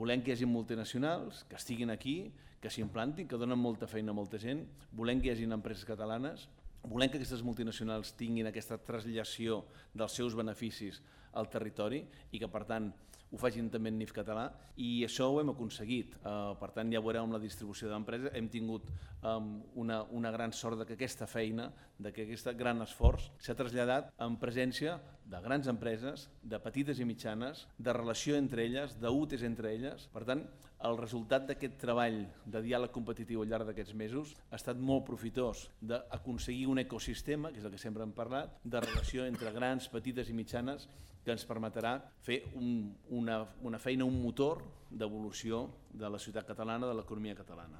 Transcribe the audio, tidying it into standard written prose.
Volem que hi hagi multinacionals, que estiguin aquí, que s'implantin, que donen molta feina a molta gent. Volem que hi hagi empreses catalanes. Volem que aquestes multinacionals tinguin aquesta traslació dels seus beneficis al territori i que, per tant, ho facin també en NIF català, i això ho hem aconseguit. Per tant, ja veureu amb la distribució d'empreses, hem tingut una gran sort que aquesta feina, que aquest gran esforç s'ha traslladat en presència de grans empreses, de petites i mitjanes, de relació entre elles, d'UTEs entre elles. Per tant, el resultat d'aquest treball de diàleg competitiu al llarg d'aquests mesos ha estat molt profitós d'aconseguir un ecosistema, que és el que sempre hem parlat, de relació entre grans, petites i mitjanes, que ens permetrà fer una feina, un motor d'evolució de la ciutat catalana, de l'economia catalana.